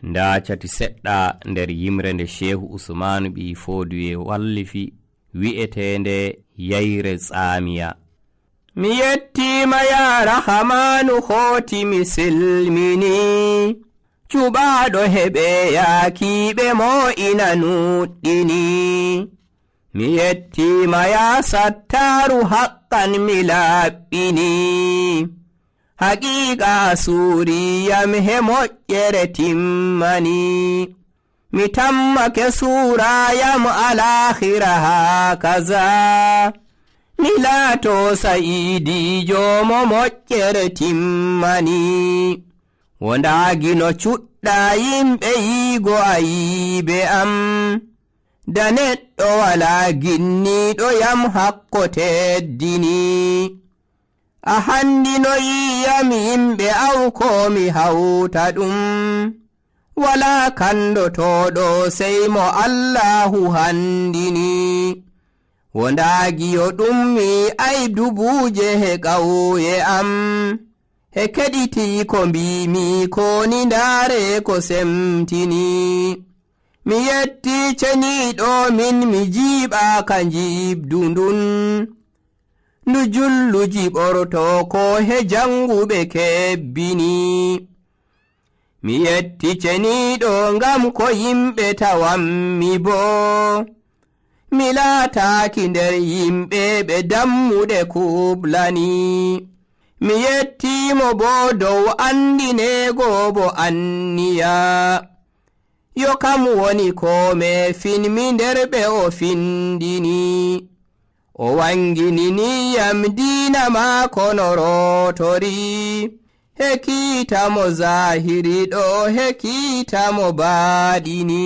nda cati seɗɗa nder yimre nde Shehu Usmanu ɓi Foduye wallifi wi'etende yayre tsamiya. Mi yettima ya Rahamanu hoti mi silmini, cuɓaɗo heɓe yakiɓe mo ina nuɗɗini. Mi yettima ya Sattaru haqqan mi laɓɓini, haqiqa suriyam he moƴƴere timmani. Mi tammake surayam alakhira hakaza, mi laato sa'idijo mo moƴƴere timmani. Wondagi no cuɗɗa yimɓe yigo ayibe am, da neɗɗo wala ginniɗo yam hakko teddini. A handino yiyam yimɓe awko mi hawta ɗum, wala kandotoɗo sey mo Allahu handini. Wondagi yo ɗum mi ay dubuje he ƙauye am, he keɗiti ko mbimi ko ni ndaare ko semtini. Mi yetti ceniɗo min mi jiiɓa ka jibdundun, ndu jullu jiɓorto ko he janguɓe kebbini. Mi yetti ceniɗo ngam ko yimɓe tawammi bo, mi laataki nder yimɓe ɓe dammuɗe kublani. Mi yettimo bo dow andinego bo anniya, yo kam woni ko me finmi nder ɓe o findini. O wangininiyam diina maako no rotori, hekiitamo zahiri ɗo hekiitamo baaɗini.